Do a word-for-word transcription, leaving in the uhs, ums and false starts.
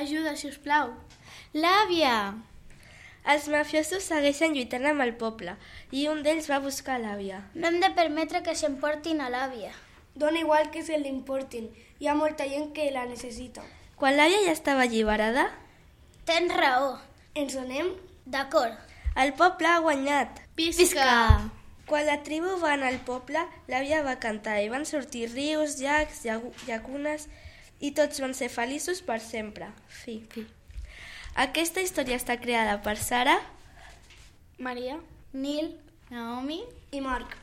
Ajuda, si us plau. L'àvia! Els mafiosos segueixen lluitant amb el poble i un d'ells va buscar l'àvia. No hem de permetre que s'emportin a l'àvia. Dona igual que se l'importin. Hi ha molta gent que la necessita. Quan l'àvia ja estava alliberada... Tens raó. Ens anem? D'acord. El poble ha guanyat. Visca! Quan la tribu va anar al poble, l'àvia va cantar i van sortir rius, llacs, llacunes i tots van ser feliços per sempre. Fi. Fi. Aquesta història està creada per Sara, Maria, Nil, Naomi I Marc.